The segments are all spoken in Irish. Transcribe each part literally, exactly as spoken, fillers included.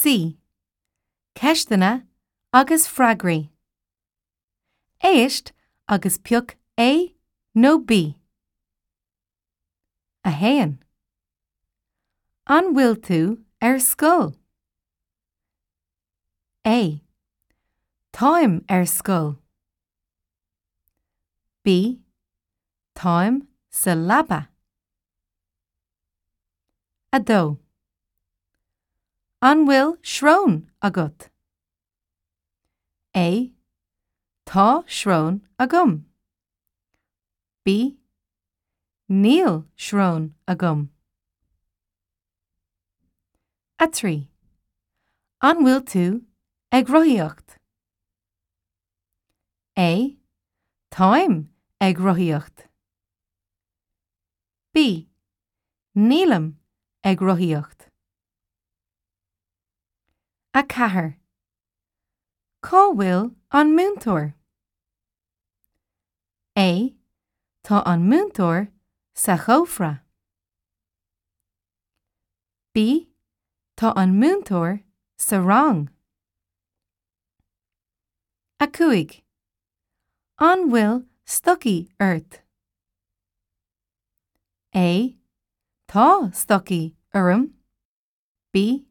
C. Ceisteanna agus freagraí. Éist agus pioc A nó B. A haon. An bhfuil tú ar scoil? A. Táim ar scoil. B. Táim sa leaba. A dó. An bhfuil srón agat? A. Tá srón agam. B. Níl srón agam. A trí. An bhfuil tú ag rothaíocht? A. Táim ag rothaíocht. B. Nílim ag rothaíocht. A ceathair. Cá bhfuil an múinteoir? A. Tá an múinteoir sa chófra. B. Tá an múinteoir sa rang. A cúig. An bhfuil stocaí ort? A. Tá stocaí orm. B.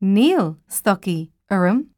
Níl stocaí orm.